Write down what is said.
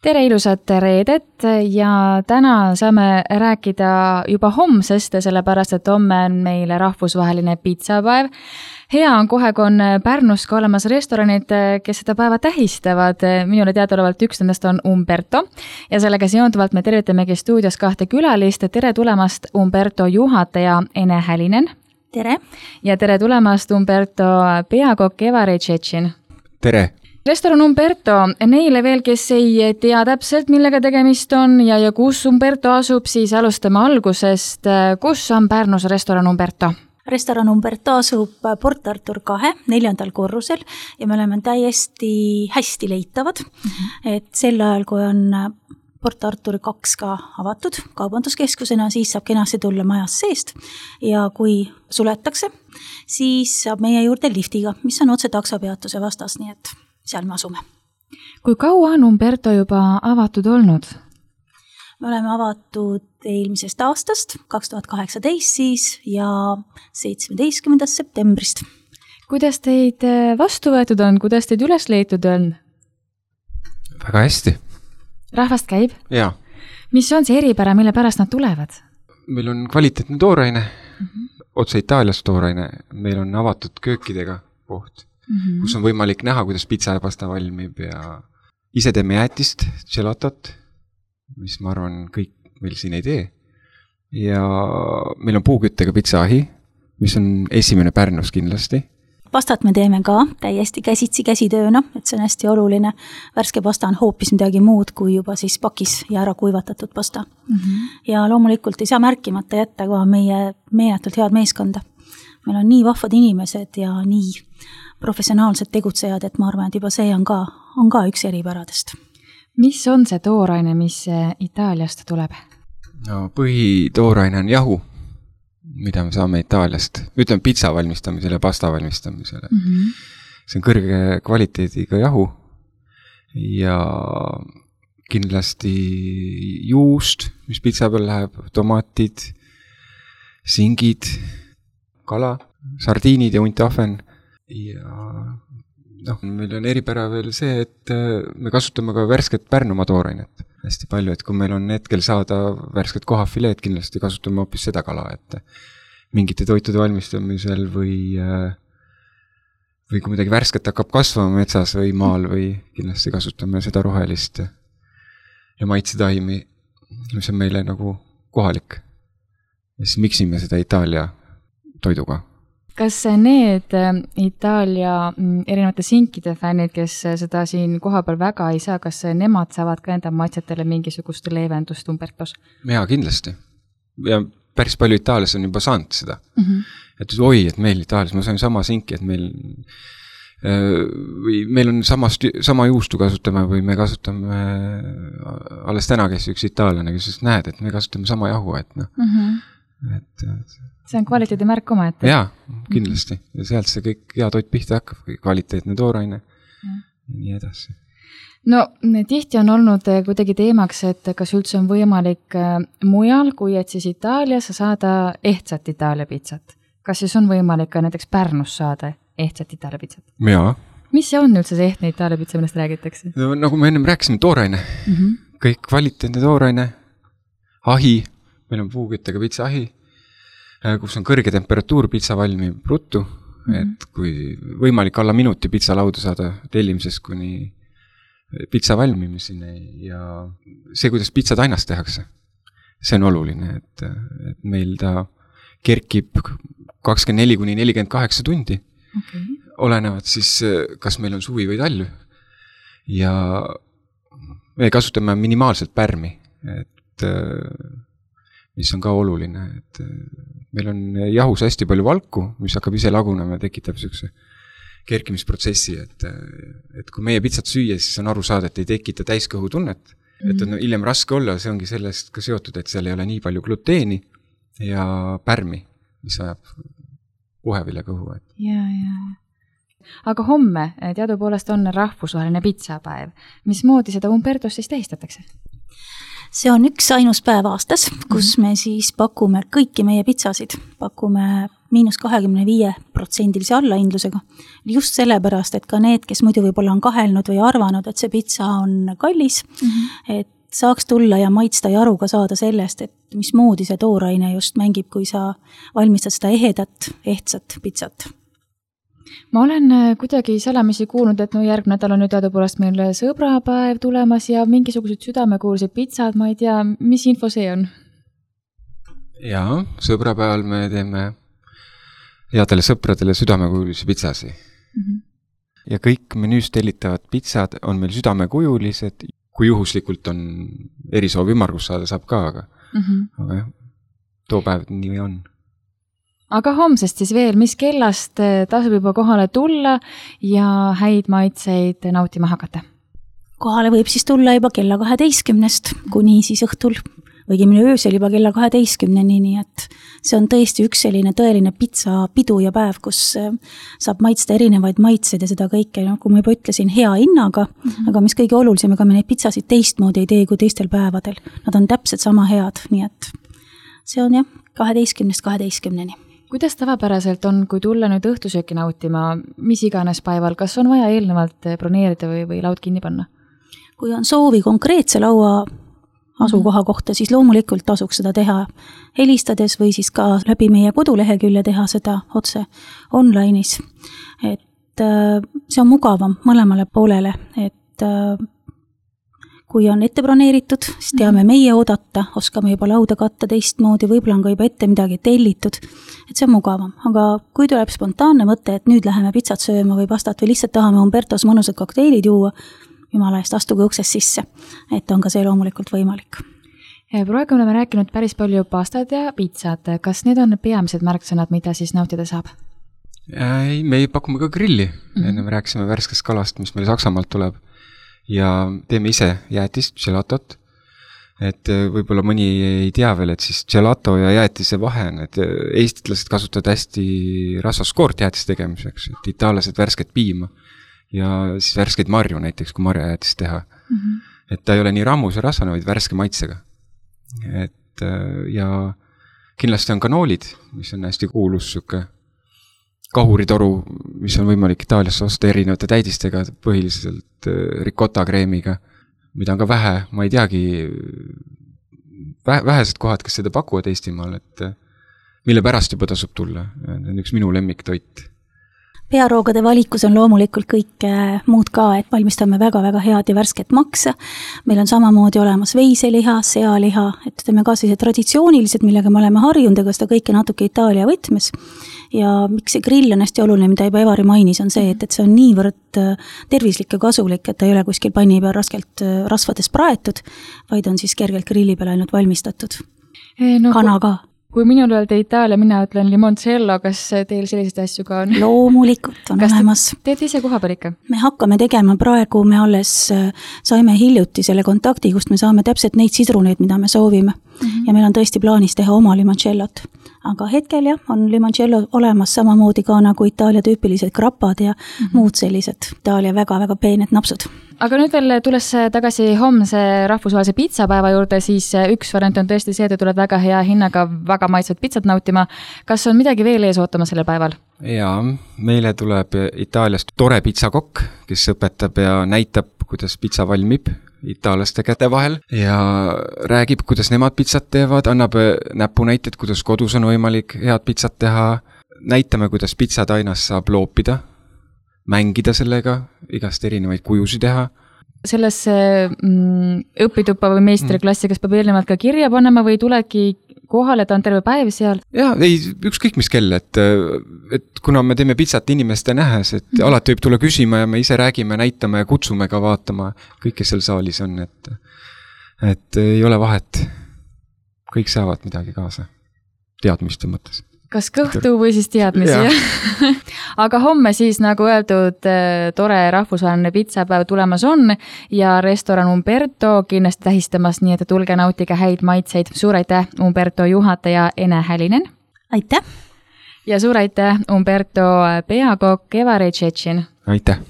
Tere ilusat reedet ja täna saame rääkida juba homsest, sellepärast et homme on meil rahvusvaheline pitsapäev. Hea on kohe, kui on Pärnus ka olemas restoranid, kes seda päeva tähistavad. Minule teadaolevalt üks nendest on Umberto ja sellega seonduvalt me tervitamegi stuudios kahte külalist. Tere tulemast Umberto juhataja Ene Hälinen. Tere. Ja tere tulemast Umberto peakokk Evari Tšetšin. Tere. Restoran Umberto, neile veel, kes ei tea täpselt, millega tegemist on ja kus Umberto asub, siis alustame algusest. Kus on Pärnus restoran Umberto? Restoran Umberto asub Port Artur 2, 4. korrusel ja me oleme täiesti hästi leitavad. Et sel ajal, kui on Port Artur 2 ka avatud kaubanduskeskusena, siis saab kenasti tulla majas seest ja kui suletakse, siis saab meie juurde liftiga, mis on otse taksopeatuse vastas, nii et seal me asume. Kui kaua on Umberto juba avatud olnud? Me oleme avatud eelmisest aastast, 2018 siis ja 17. septembrist. Kuidas teid vastu võetud on? Kuidas teid üles leitud on? Väga hästi. Rahvast käib? Jaa. Mis on see eripära, mille pärast nad tulevad? Meil on kvaliteetne tooraine, otse Itaaliast tooraine. Meil on avatud köökidega koht. Kus on võimalik näha, kuidas pitsa ja pasta valmib ja ise teeme jäätist, gelatot, mis ma arvan kõik meil siin ei tee. Ja meil on puuküttega pitsaahi, mis on esimene Pärnus kindlasti. Pastat me teeme ka täiesti käsitööna, et see on hästi oluline. Värske pasta on hoopis midagi muud kui juba siis pakis ja ära kuivatatud pasta. Ja loomulikult ei saa märkimata jätta ka meie meeletult head meeskonda. Meil on nii vahvad inimesed ja nii professionaalsed tegutsejad, et ma arvan, et juba see on ka üks eripäradest. Mis on see tooraine, mis Itaaliast tuleb? No, põhitooraine on jahu, mida me saame Itaaliast. Ütleme pitsa valmistamisele ja pasta valmistamisele. See on kõrge kvaliteediga jahu ja kindlasti juust, mis pitsa peal läheb, tomatid, singid, kala, sardiinid ja untahven. Ja meil on eripära veel see, et me kasutame ka värsket Pärnumaa toorainet hästi palju, et kui meil on hetkel saada värsket kohafileed, kindlasti kasutame hoopis seda kala, et mingite toitude valmistamisel või kui midagi värsket hakkab kasvama metsas või maal või kindlasti kasutame seda rohelist ja maitsetaimi, mis on meile nagu kohalik. Ja siis miksime seda Itaalia toiduga. Kas need Itaalia erinevate sinkide fännid, kes seda siin kohapeal väga ei saa, kas nemad saavad ka enda maitsetele mingisugust leevendust Umbertos? Jaa, kindlasti. Ja päris palju Itaalias on juba saanud seda. Et et meil Itaalias, me saame sama sinki, et meil on sama juustu kasutame või me kasutame alles täna käis üks itaallane, kes näed, et me kasutame sama jahu, et see on kvaliteedi märk oma, et... Jaa, kindlasti. Ja sealt see kõik hea toit pihta hakkab, kvaliteetne tooraine ja nii edasi. No, tihti on olnud kuidagi teemaks, et kas üldse on võimalik mujal, kui et siis Itaalias saada ehtsat Itaalia pitsat. Kas siis on võimalik ka näiteks Pärnus saada ehtsat Itaalia pitsat? Jaa. Mis see on üldse see ehtne Itaalia pitsa, millest räägitakse? No, nagu me ennem rääkisime, tooraine. Kõik kvaliteetne tooraine, ahi, meil on puuküttega pitsaahi, kus on kõrge temperatuur, pitsa valmib ruttu, et kui võimalik alla minuti pitsa lauda saada tellimisest kuni pitsa valmimiseni ja see, kuidas pitsa tainast tehakse, see on oluline, et meil ta kerkib 24–48 tundi, olenevad siis, kas meil on suvi või talv ja me kasutame minimaalselt pärmi, et mis on ka oluline, et meil on jahus hästi palju valku, mis hakkab ise lagunema ja tekitab sellise kerkimisprotsessi, et kui meie pitsat süüa, siis on aru saada, et ei tekita täiskõhu tunnet, et on hiljem raske olla, see ongi sellest ka seotud, et seal ei ole nii palju gluteeni ja pärmi, mis ajab puhevile kõhu. Ja. Aga homme teadupoolest on rahvusvaheline pitsapäev. Mismoodi seda Umbertos siis tähistatakse? See on üks ainus päev aastas, kus me siis pakume kõiki meie pitsasid. Pakume -25% allahindlusega. Just sellepärast, et ka need, kes muidu võib-olla on kahelnud või arvanud, et see pitsa on kallis, et saaks tulla ja maitsta ja aru ka saada sellest, et mismoodi see tooraine just mängib, kui sa valmistad seda ehedat, ehtsat pitsat. Ma olen kuidagi salamisi kuulnud, et järgmine nädal on nüüd teadupoolest meil sõbrapäev tulemas ja mingisugused südamekuulsed pitsad, ma ei tea, mis info see on? Jaa, sõbrapäeval me teeme headele sõpradele südamekuulisi pitsasi. Ja kõik menüüs tellitavad pitsad on meil südamekujulised, kui juhuslikult on erisoov ümmargus saada, saab ka, aga jah, too päev nii on. Aga homsest siis veel, mis kellast tasub juba kohale tulla ja häid maitseid nautima hakata? Kohale võib siis tulla juba kella 12 kuni siis õhtul või öösel juba kella 12-ni, nii et see on tõesti üks selline tõeline pitsa pidu ja päev, kus saab maitsta erinevaid maitseid ja seda kõike, nagu ma juba ütlesin, hea hinnaga, aga mis kõige olulisem, ega me neid pitsasid teistmoodi ei tee kui teistel päevadel. Nad on täpselt sama head, nii et see on jah, 12-ni. Kuidas tavapäraselt on, kui tulla nüüd õhtusööki nautima, mis iganes päeval, kas on vaja eelnevalt broneerida või laud kinni panna? Kui on soovi konkreetse laua asukoha kohta, siis loomulikult tasuks seda teha helistades või siis ka läbi meie kodulehekülje teha seda otse online'is. Et see on mugavam mõlemale poolele, et kui on ette broneeritud, siis teame meie oodata, oskame juba lauda katta teistmoodi, võib-olla on ka juba ette midagi tellitud, et see on mugavam. Aga kui tuleb spontaanne mõte, et nüüd läheme pitsat sööma või pastat või lihtsalt tahame Umbertos mõnusad kokteilid juua, jumala eest, astuge uksest sisse, et on ka see loomulikult võimalik. Praegu oleme rääkinud päris palju pastad ja pitsad. Kas need on peamised märksõnad, mida siis nautida saab? Ei, me pakume ka grilli. Enne me rääkisime värskest kalast, mis meil Saksamaalt tuleb. Ja teeme ise jäätist, gelatot. Et võib-olla mõni ei tea veel, et siis gelato ja jäätise vahe on, et eestlased kasutavad hästi rasvaskoort jäätist tegemiseks, et itaallased värsket piima ja siis värskeid marju näiteks, kui marjajäätist teha. Et ta ei ole nii rammus ja rasvane, vaid värske maitsega. Et ja kindlasti on kanoolid, mis on hästi kuulus süke kahuritoru, mis on võimalik Itaaliasse osta erinevate täidistega, põhiliselt ricotta kreemiga, mida on ka vähe, ma ei teagi, vähesed kohad, kes seda pakuvad Eestimaal, et mille pärast juba tasub tulla. See on üks minu lemmiktoit. Pearoogade valikus on loomulikult kõik muud ka, et valmistame väga-väga head ja värsket maksa. Meil on samamoodi olemas veiseliha, sealiha, et teeme ka sellised traditsioonilised, millega me oleme harjunud, aga seda kõike natuke Itaalia võtmes. Ja miks see grill on hästi oluline, mida juba Evari mainis, on see, et see on niivõrd tervislik ja kasulik, et ta ei ole kuskil panni peal raskelt rasvades praetud, vaid on siis kergelt grilli peal ainult valmistatud. Kana ka. Kui minul öelda Itaalia, mina ütlen limoncello, kas teil selliseid asju ka on? Loomulikult on olemas. Teete ise koha peal ikka? Me hakkame tegema praegu, me alles saime hiljuti selle kontakti, kust me saame täpselt neid sidruneid, mida me soovime. Ja meil on tõesti plaanis teha oma limoncellot. Aga hetkel jah, on limoncello olemas samamoodi ka nagu Itaalia tüüpilised krapad ja muud sellised Itaalia väga-väga peened napsud. Aga nüüd veel tulles tagasi homse rahvusvahelise pitsapäeva juurde, siis üks variant on tõesti see, et tuled väga hea hinnaga väga maitsvad pitsat nautima. Kas on midagi veel ees ootama selle päeval? Jaa, meile tuleb Itaaliast tore pitsakokk, kes õpetab ja näitab, kuidas pitsa valmib itaalaste käte vahel ja räägib, kuidas nemad pitsat teevad, annab näpunäited, kuidas kodus on võimalik head pitsat teha, näitame, kuidas pitsatainas saab loopida, mängida sellega, igast erinevaid kujusi teha. Sellesse õpituppa või meistriklassi, kas peab eelnevalt ka kirja panema või tuledki kohale, ta on terve päev seal? Jaa, ei, ükskõik mis kell, et kuna me teeme pitsat inimeste nähes, et alati võib tulla küsima ja me ise räägime, näitame ja kutsume ka vaatama kõik, kes seal saalis on, et ei ole vahet. Kõik saavad midagi kaasa, teadmiste mõttes. Kas kõhtu või siis teadmisi, jah? Aga homme siis, nagu öeldud, tore rahvusvaheline pitsapäev tulemas on ja restoran Umberto kindlasti tähistamas, nii et tulge nautige häid maitseid. Suur aitäh, Umberto juhataja Ene Hälinen. Aitäh! Ja suur aitäh, Umberto peakokk Evari Tšetšin. Aitäh!